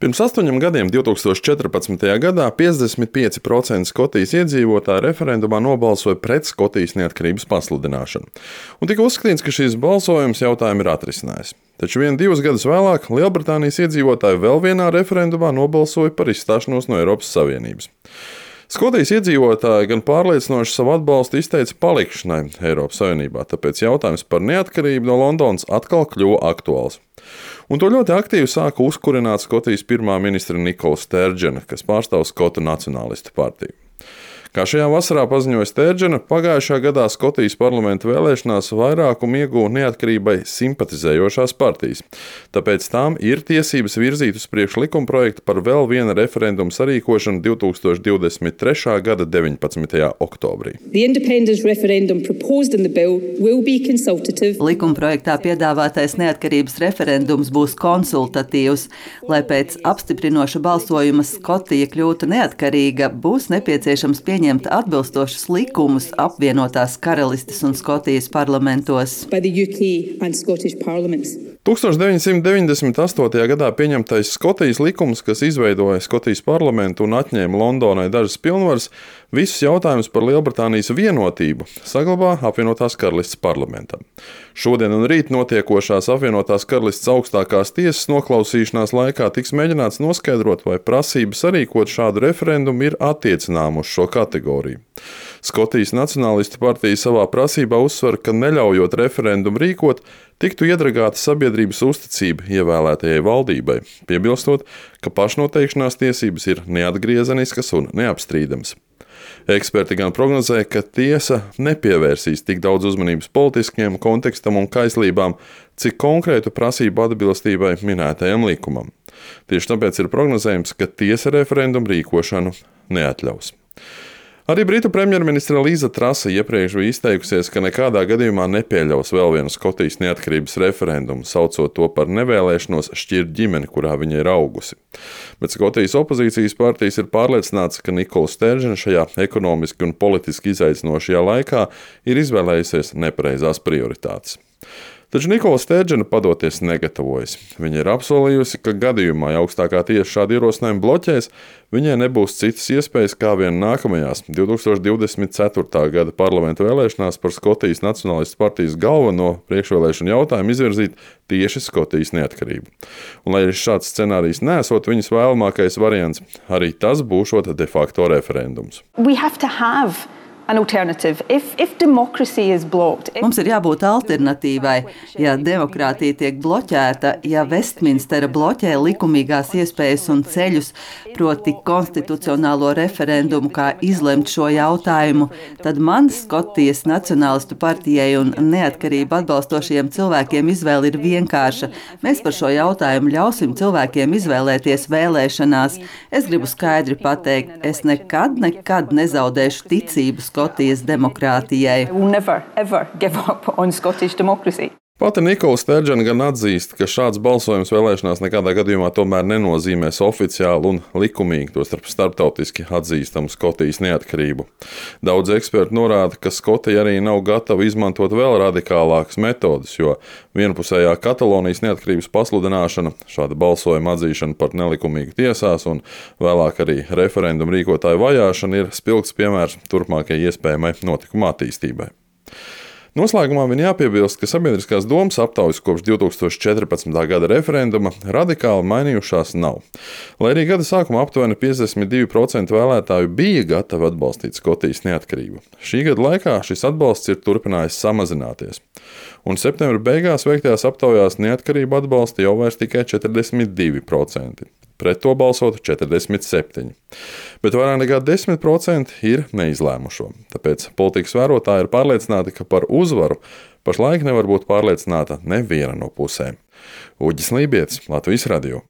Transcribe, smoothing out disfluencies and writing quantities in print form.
Pirms 8 gadiem, 2014. gadā, 55% Skotijas iedzīvotāji referendumā nobalsoja pret Skotijas neatkarības pasludināšanu. Un tika uzskatīts, ka šis balsojums jautājumu ir atrisinājis. Taču 2 gadus vēlāk Lielbritānijas iedzīvotāji vēl vienā referendumā nobalsoja par izstāšanos no Eiropas Savienības. Skotijas iedzīvotāji gan pārliecinoši savu atbalstu izteica palikšanai Eiropas Savienībā, tāpēc jautājums par neatkarību no Londonas atkal kļuva aktuāls. Un to ļoti aktīvi sāka uzkurināt Skotijas pirmā ministra Nikola Sterdžena, kas pārstāv Skotu nacionālistu partiju. Kā šajā vasarā paziņoja Sterdžena, pagājušā gadā Skotijas parlamenta vēlēšanās vairākumu ieguva neatkarībai simpatizējošās partijas. Tāpēc tām ir tiesības virzīt uz priekšu likumprojektu par vēl viena referenduma sarīkošanu 2023. gada 19. oktobrī. Likumprojektā piedāvātais neatkarības referendums būs konsultatīvs. Lai pēc apstiprinoša balsojuma Skotija kļūtu neatkarīga, būs nepieciešams pieņemt atbilstošus likumus apvienotās Karalistes un Skotijas parlamentos. 1998. gadā pieņemtais Skotijas likums, kas izveidoja Skotijas parlamentu un atņēma Londonai dažas pilnvaras, visus jautājumus par Lielbritānijas vienotību saglabā apvienotās Karalistes parlamentam. Šodien un rīt notiekošās apvienotās Karalistes augstākās tiesas noklausīšanās laikā tiks mēģināts noskaidrot, vai prasība sarīkot šādu referendumu ir attiecināma uz šo kategoriju. Skotijas nacionālistu partija savā prasībā uzsver, ka neļaujot referendumu rīkot, tiktu iedragāta sabiedrības uzticība ievēlētajai valdībai, piebilstot, ka pašnoteikšanās tiesības ir neatgriezeniskas un neapstrīdamas. Eksperti gan prognozē, ka tiesa nepievērsīs tik daudz uzmanības politiskiem kontekstam un kaislībām, cik konkrētu prasību atbilstībai minētajam likumam. Tieši tāpēc ir prognozējums, ka tiesa referendumu rīkošanu neatļaus. Arī Britu premjerministre Līza Trasa iepriekš bija izteikusies, ka nekādā gadījumā nepieļaus vēl vienu Skotijas neatkarības referendumu, saucot to par nevēlēšanos šķirt ģimeni, kurā viņa ir augusi. Bet Skotijas opozīcijas partijas ir pārliecināts, ka Nikola Sterdžena šajā ekonomiski un politiski izaicinošajā laikā ir izvēlējusies nepareizās prioritātes. Taču Nikola Sterdžena padoties negatavojas. Viņa ir apsolījusi, ka gadījumā, ja augstākā tiesa šādu ierosinājumu bloķēs, viņai nebūs citas iespējas kā vien nākamajās 2024. gada parlamenta vēlēšanās par Skotijas nacionālistu partijas galveno priekšvēlēšanu jautājumu izvirzīt tieši Skotijas neatkarību. Un, lai šāds scenārijs nesot viņas vēlamākais variants, arī tas būšot de facto referendums. Mums ir jābūt alternatīvai. Ja demokrātija tiek bloķēta, ja Vestminstera bloķē likumīgās iespējas un ceļus, proti konstitucionālo referendumu, kā izlemt šo jautājumu, tad man, Skotijas nacionālistu partijai un neatkarību atbalstošajiem cilvēkiem izvēle ir vienkārša. Mēs par šo jautājumu ļausim cilvēkiem izvēlēties vēlēšanās. Es gribu skaidri pateikt, es nekad nezaudēšu ticību Skotijas demokrātijai. Pati Nikola Sterdžena gan atzīst, ka šāds balsojums vēlēšanās nekādā gadījumā tomēr nenozīmēs oficiāli un likumīgi, tostarp starptautiski atzīstamu Skotijas neatkarību. Daudz eksperti norāda, ka Skotija arī nav gatava izmantot vēl radikālākas metodas, jo vienpusējā Katalonijas neatkarības pasludināšana, šāda balsojuma atzīšana par nelikumīgu tiesās un vēlāk arī referendumu rīkotāju vajāšana ir spilgts piemērs turpmākajai iespējamai notikuma attīstībai. Noslēgumā vien jāpiebilst, ka sabiedriskās domas aptaujas kopš 2014. gada referenduma radikāli mainījušās nav. Lai arī gada sākumā aptuveni 52% vēlētāju bija gatavi atbalstīt Skotijas neatkarību. Šī gada laikā šis atbalsts ir turpinājis samazināties. Un septembra beigās veiktajās aptaujās neatkarību atbalsta jau vairs tikai 42%. Pret to balsotu 47%. Bet vairāk nekā 10% ir neizlēmušo. Tāpēc politikas vērotāji ir pārliecināti, ka par uzvaru pašlaik nevar būt pārliecināta neviena no pusēm. Uģis Lībietis, Latvijas Radio.